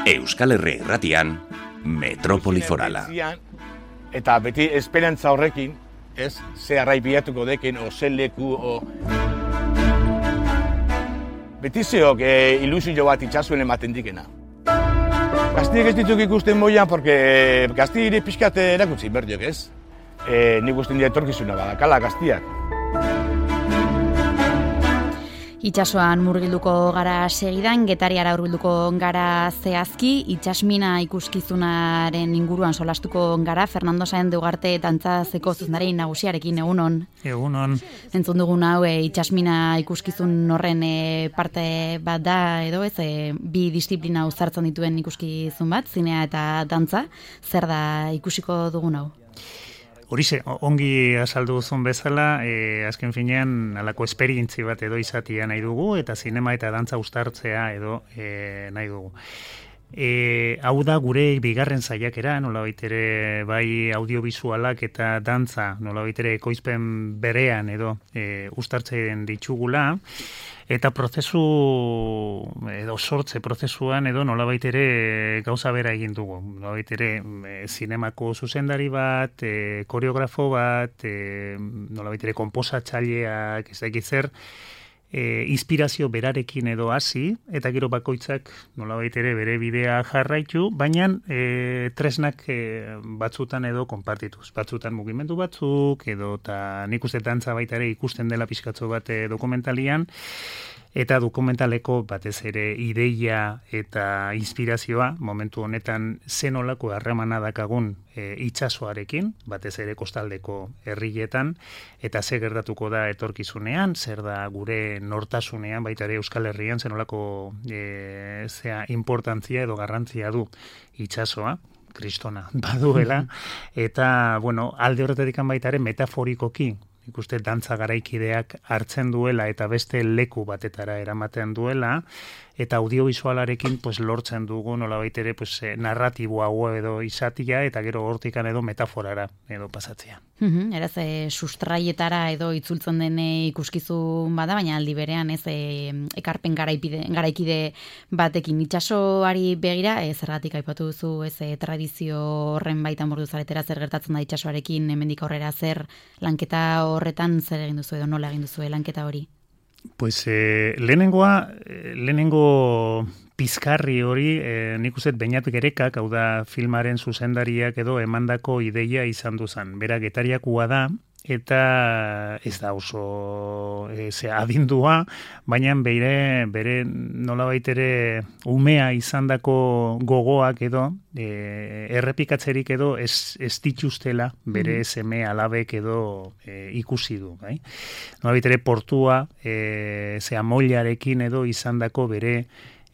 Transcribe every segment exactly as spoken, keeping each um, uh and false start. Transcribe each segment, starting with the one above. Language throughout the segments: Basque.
Euskal Herri Irratian, Metropoli Forala. Eta beti esperantza horrekin, ez, ze arrai bilatuko dekin, o ze leku, o... Beti zeok e, ilusio bat itxasuen ematen dikena. Gaztiek ez dituk ikusten moian, porque gazti ere pixkat erakutsi berdiok, ez? E, nik usten dira etorkizuna badakala gaztiak. Itsasoan murgilduko gara segidan, Getariara hurbilduko gara zehazki, itsasmina ikuskizunaren inguruan solastuko gara, Fernando Sáenz de Ugarte dantzazeko zuzendari nagusiarekin, egunon. Egunon. Entzun dugun hau, e, itsasmina ikuskizun horren e, parte bat da, edo ez, e, bi disiplina uzartzen dituen ikuskizun bat, zinea eta dantza, zer da ikusiko dugun hau? Horixe, ongi azaldu duzun bezala, e, azken finean alako esperientzi bat edo izatia nahi dugu, eta zinema eta dantza uztartzea edo e, nahi dugu. E, hau da gure bigarren saiakera, nolabait ere bai audiovisualak eta dantza, nolabait ere ekoizpen berean edo e, uztartzen ditugula, eta prozesu edo sortze prozesuan edo nolabait ere gauza bera egin dugu. Nolabait ere e, zinemako zuzendari bat, e, koreografo bat, e, nolabait ere konposatzaileak, ez dakit zer, e, inspirazio berarekin edo hasi, eta gero bakoitzak nolabait ere bere bidea jarraitu, baina e, tresnak e, batzutan edo konpartituz. Batzutan mugimendu batzuk, edo eta nik uste dantza baita ere ikusten dela pixkatzo bat e, dokumentalian, eta dokumentaleko batez ere ideia eta inspirazioa momentu honetan zenolako harremana dakagun e, itsasoarekin, batez ere kostaldeko herrietan, eta ze gertatuko da etorkizunean, zer da gure nortasunean, baita ere Euskal Herrian zenolako e, zea importantzia edo garrantzia du itsasoa, kristona baduela, eta bueno, alde horretatik baita ere metaforikoki, ikuste dantza garaikideak hartzen duela eta beste leku batetara eramaten duela, eta audiovisualarekin pues, lortzen dugu nolabait ere pues, narratibo hau edo izatia, eta gero hortikan edo metaforara edo pasatzea. Uhum, eraz, e, sustraietara edo itzultzen den ikuskizun bada, baina aldi berean ez e, ekarpen garaipide, garaikide batekin itsasoari begira, e, zergatik aipatu duzu ez e, tradizio horren baitan bordu zaretera zer gertatzen da itsasoarekin, hemendik aurrera zer lanketa horretan zer egin duzu edo nola egin duzu lanketa hori? Pues eh, lehenengoa, lehenengo pizkarri hori, eh, nik uste Beñat Gerekak, hau da filmaren zuzendariak edo emandako ideia izan duzan. Bera Getariakua da, eta ez da oso e, ze adindua, baina bere, bere nolabait ere umea izandako gogoak edo e, errepikatzerik edo ez, ez dituztela bere mm. seme alabek edo e, ikusi du. Bai? Nolabait ere portua e, ze amollarekin edo izandako bere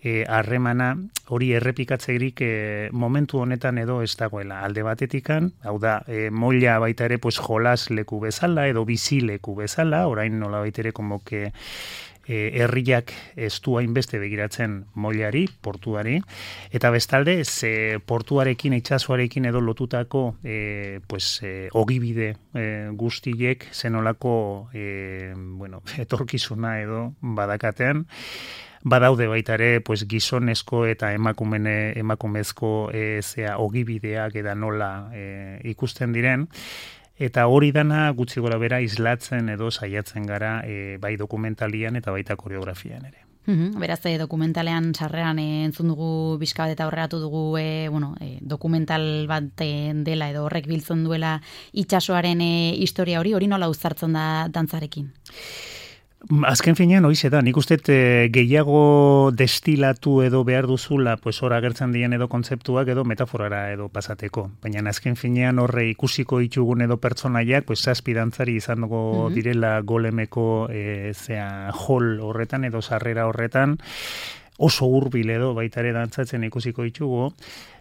harremana e, hori errepikatzerik e, momentu honetan edo ez dagoela. Alde batetikan, hau da, e, molla baita ere pues, jolas leku bezala edo bizi leku bezala, orain nola baita ere komoke e, herriak ez du hainbeste begiratzen mollari, portuari, eta bestalde ze portuarekin, itsasoarekin edo lotutako e, pues, e, ogibide e, guztiek zenolako e, bueno, etorkizuna edo badakaten, badaude baita ere pues, gizonezko eta emakumene, emakumezko e, zea ogibideak eta nola e, ikusten diren, eta hori dana gutxi gora bera islatzen edo saiatzen gara e, bai dokumentalian eta baita koreografian ere. Uhum, beraz, e, dokumentalean sarreran e, entzun dugu bizka bat eta horregatu dugu e, bueno, e, dokumental bat e, dela edo horrek biltzen duela itsasoaren e, historia hori, hori nola uzartzen da dantzarekin? Azken finean, hoize da, nik uste e, gehiago destilatu edo behar duzula, pues hor agertzen dien edo kontzeptuak edo metaforara edo pasateko. Baina azken finean horre ikusiko ditugun edo pertsonaiak, pues zazpi dantzari izan dugu mm-hmm. direla golemeko e, zea hall horretan edo sarrera horretan, oso hurbil edo baitare dantzatzen ikusiko ditugu,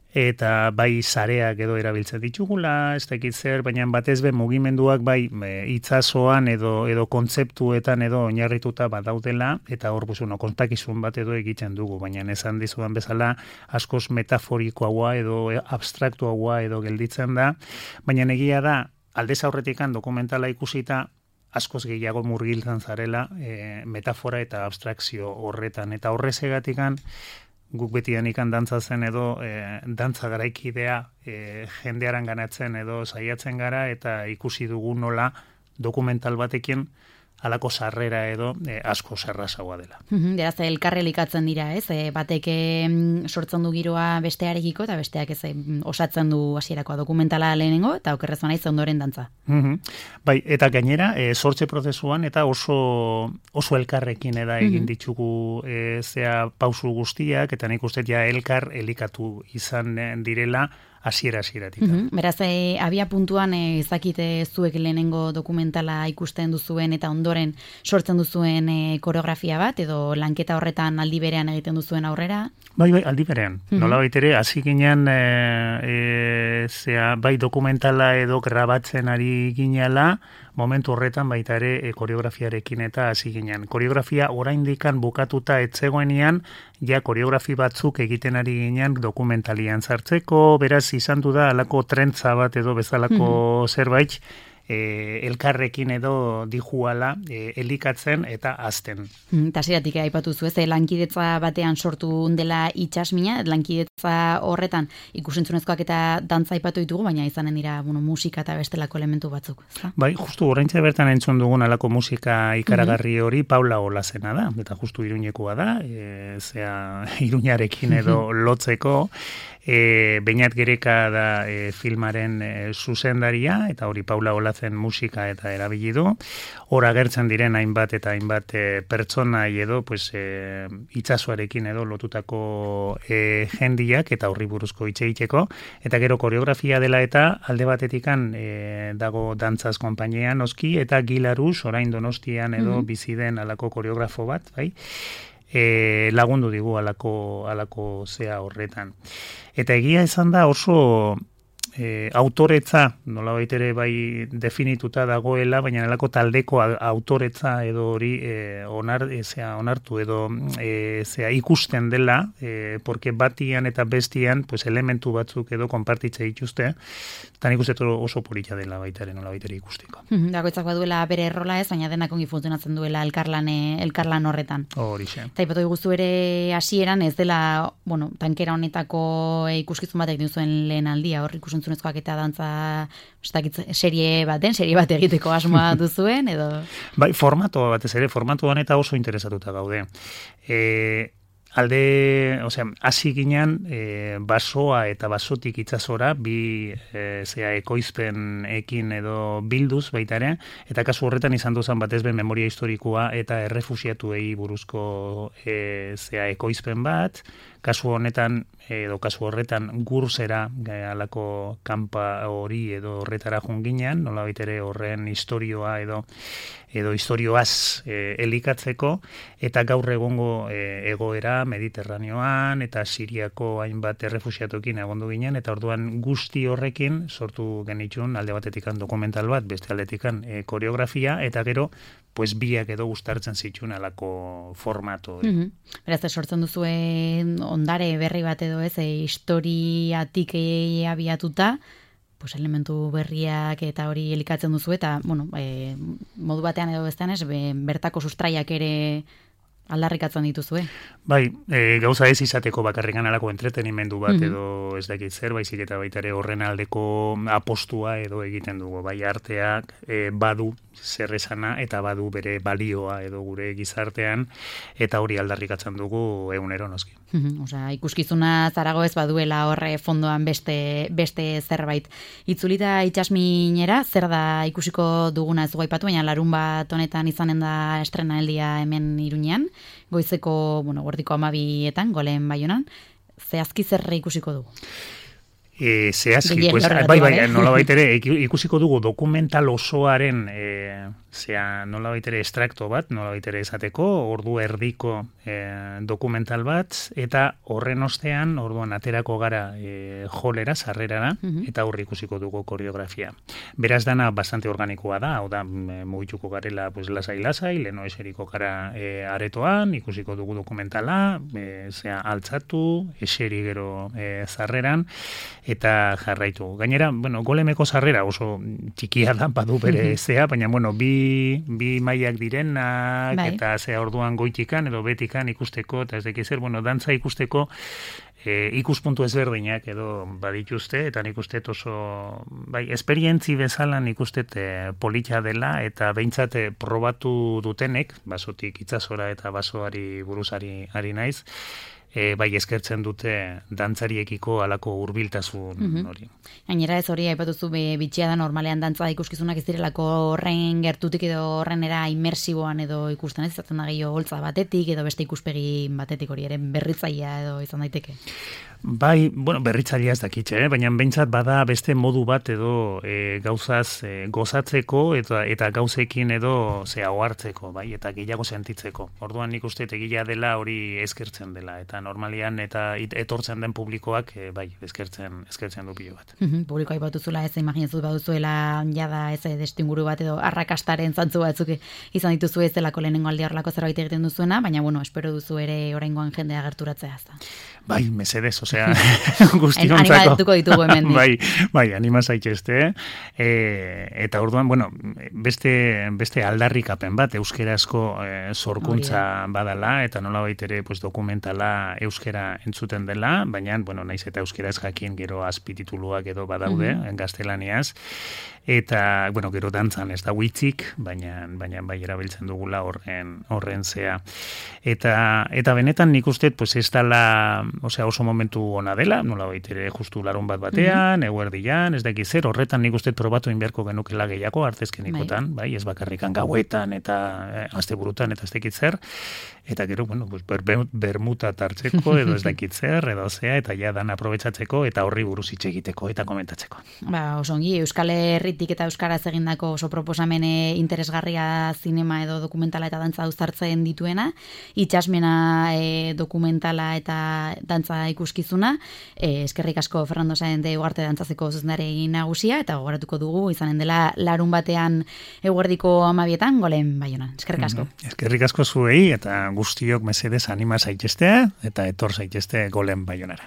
eta bai sareak edo erabiltzen ditugula, ez dakit zer, baina batez be mugimenduak bai e, itsasoan edo edo kontzeptuetan edo oinarrituta badaudela, eta hor buzuno kontakizun bat edo egiten dugu, baina esan dizudan bezala askoz metaforikoagoa edo abstraktuagoa edo gelditzen da, baina egia da aldez aurretikan dokumentala ikusita askoz gehiago murgiltzen zarela e, metafora eta abstrakzio horretan, eta horrezegatikan guk betian ikan dantza zen edo e, dantza garaikidea e, jendearan ganatzen edo saiatzen gara eta ikusi dugu nola dokumental batekin alako sarrera edo e, asko zerrazagoa dela. Beraz, elkarre elikatzen dira, ez? E, batek em, sortzen du giroa bestearekiko eta besteak ez em, osatzen du hasierakoa dokumentala lehenengo eta okerrez banaiz ondoren dantza. Mm-hmm. Bai, eta gainera, e, sortze prozesuan eta oso oso elkarrekin eda egin mm-hmm. ditugu e, zea pausu guztiak eta nik uste ja elkar elikatu izan direla hasiera hasieratik. Mm-hmm. Beraz, e, abia puntuan e, ezakite zuek lehenengo dokumentala ikusten duzuen eta ondoren sortzen duzuen e, koreografia bat edo lanketa horretan aldi berean egiten duzuen aurrera? Bai, bai, aldi berean. Mm-hmm. Nolabait ere, hasi ginen e, e, zea, bai dokumentala edo grabatzen ari ginela, momentu horretan baita ere e, koreografiarekin eta hasi ginen. Koreografia oraindikan bukatuta etzegoenean, ja koreografi batzuk egiten ari ginen dokumentalian sartzeko, beraz izan du da alako trentza bat edo bezalako mm-hmm. zerbait, E, elkarrekin edo dijuala e, elikatzen eta azten. Eta zeratik aipatu zu, ez, lankidetza batean sortu dela itxasmina, lankidetza horretan ikusentzunezkoak eta dantza aipatu ditugu, baina izanen dira bueno, musika eta bestelako elementu batzuk. Ezta? Bai, justu oraintxe bertan entzun dugun alako musika ikaragarri hori Paula Olazena da, eta justu Iruñekoa da, e, zea Iruñarekin edo lotzeko, E, Beñat Gereka da e, filmaren e, zuzendaria, eta hori Paula Olazen musika eta erabili du. Hor agertzen diren hainbat eta hainbat e, pertsonai edo pues, e, itsasoarekin edo lotutako e, jendiak eta horri buruzko hitz egiteko. Eta gero koreografia dela eta alde batetikan e, dago dantzaz konpainia noski, eta Gilaruz orain Donostian edo mm-hmm. bizi den alako koreografo bat, bai? E, lagundu digu alako, alako zea horretan. Eta egia esan da oso e, autoretza, nolabait ere bai definituta dagoela, baina alako taldeko autoretza edo hori e, onar, e, zea, onartu edo e, zea ikusten dela, e, porque batian eta bestian pues, elementu batzuk edo konpartitze dituzte, eta nik uste oso polita dela baitaren nolabait ere ikusteko. Dagoitzak baduela bere errola ez, baina denak ongi funtzionatzen duela elkarlan, elkarlan horretan. Horixe. Eta ipatu diguzu ere hasieran ez dela, bueno, tankera honetako ikuskizun batek duzuen lehen aldia, hor ikusentzunezkoak eta dantza serie baten, serie bat egiteko asmoa duzuen, edo? Bai, formato batez ere, formatuan eta oso interesatuta gaude. E, alde, osea, hasi ginen e, basoa eta basotik itsasora bi e, zea ekoizpen ekin edo bilduz baita ere, eta kasu horretan izan duzan batez ben memoria historikoa eta errefuxiatuei buruzko e, zea ekoizpen bat, kasu honetan edo kasu horretan gurzera alako kanpa hori edo horretara junginean, nolabait ere horren historioa edo edo historioaz e, elikatzeko, eta gaur egongo e, egoera Mediterraneoan eta Siriako hainbat errefuxiatuekin egondu ginen, eta orduan guzti horrekin sortu genitxun alde batetikan dokumental bat, beste aldetikan e, koreografia, eta gero pues biak edo gustartzen zituen alako formato. Mm-hmm. Beraz, sortzen duzuen ondare berri bat edo ez, e, historiatik e, abiatuta, pues elementu berriak eta hori elikatzen duzu eta, bueno, e, modu batean edo bestean ez, be, bertako sustraiak ere aldarrikatzen dituzue. Bai, e, gauza ez izateko bakarrikan alako entretenimendu bat mm-hmm. edo ez dakit zer, baizik eta baita ere horren aldeko apostua edo egiten dugu. Bai, arteak e, badu zer esana eta badu bere balioa edo gure gizartean, eta hori aldarrikatzen dugu egunero noski. Mm-hmm. Osea, ikuskizuna zarago ez baduela horre fondoan beste, beste zerbait. Itzulita itxasminera, zer da ikusiko duguna ez guaipatu, baina larun bat honetan izanen da estrenaeldia hemen Iruñean, goizeko, bueno, gordiko amabietan, Golen Baionan, zehazki zerre ikusiko dugu? E, zehazki, pues, bai, bai, nola baitere, ikusiko dugu dokumental osoaren, e, zea, nola baitere estrakto bat, nola baitere esateko, ordu erdiko e, dokumental bat, eta horren ostean, orduan aterako gara e, jolera, sarrerara, mm-hmm. eta horri ikusiko dugu koreografia. Beraz dana bastante organikoa da, hau da, mugituko garela, pues, lasai-lasai, leno eseriko gara e, aretoan, ikusiko dugu dokumentala, e, zea, altzatu, eseri gero e, sarreran, eta jarraitu. Gainera, bueno, Golemeko sarrera oso txikia da, badu bere zea, baina, bueno, bi bi, bi mailak direnak, bai. eta ze orduan goitikan edo betikan ikusteko, eta ez deki zer, bueno, dantza ikusteko e, ikuspuntu ezberdinak edo badituzte, eta nik uste oso, bai, esperientzi bezala nik uste e, politxa dela, eta behintzat e, probatu dutenek, basotik itsasora eta basoari buruzari ari naiz, E, bai eskertzen dute dantzariekiko alako hurbiltasun Mhm. hori. Gainera ez hori aipatuzu be bitxia da normalean dantza ikuskizunak ez direlako horren gertutik edo horren era inmersiboan edo ikusten ez izaten da gehiago holtza batetik edo beste ikuspegi batetik hori ere berritzailea edo izan daiteke. Bai, bueno, berritzailea ez dakitxe, eh? Baina behintzat bada beste modu bat edo e, gauzaz e, gozatzeko eta eta gauzekin edo zea ohartzeko, bai, eta gehiago sentitzeko. Orduan nik uste egia dela hori eskertzen dela, eta normalian eta it, etortzen den publikoak e, bai, eskertzen eskertzen du pilo bat. Mhm, publikoa aipatuzula ez imaginatzen baduzuela jada ez destinguru bat edo arrakastaren zantzu batzuk izan dituzu ez delako lehenengo aldi horrelako zerbait egiten duzuena, baina bueno, espero duzu ere oraingoan jendea gerturatzea ezta. Bai, mesedez, osea, guztiontzako. Animatuko ditugu hemen. Bai, bai, anima zaitezte. E, eta orduan, bueno, beste, beste aldarrikapen bat, euskerazko e, sorkuntza badala, eta nola baitere pues, dokumentala euskera entzuten dela, baina, bueno, naiz eta euskeraz jakin gero azpitituluak edo badaude, mm-hmm. gaztelaniaz, eta, bueno, gero dantzan ez da huitzik, baina, baina bai erabiltzen dugula horren, horren zea. Eta, eta benetan nik uste, pues ez dala, osea, oso momentu ona dela, nola baitere justu larun bat batean, mm-hmm. eguerdian, ez daki zer, horretan nik uste probatu inberko genukela gehiago, artezkenikotan, bai, ez bakarrikan gauetan, eta eh, asteburutan, eta ez dakit zer, eta gero, bueno, pues, ber, bermuta tartzeko, edo ez dakit zer, edo zea, eta ja dan aprobetsatzeko, eta horri buruz hitz egiteko, eta komentatzeko. Ba, oso ongi, Euskal Herritik eta Euskaraz egindako oso proposamene interesgarria zinema edo dokumentala eta dantza uztartzen dituena, itxasmena e, dokumentala eta dantza ikuskizuna, e, eskerrik asko Fernando Saende Ugarte dantzazeko zuzendari nagusia, eta gogoratuko dugu izanen dela larun batean eguerdiko amabietan, golen Baionan. Eskerrik asko. Mm-hmm. Eskerrik asko zuei, eta guztiok mesedez anima zaitezte, eta etor zaitezte golen Baionara.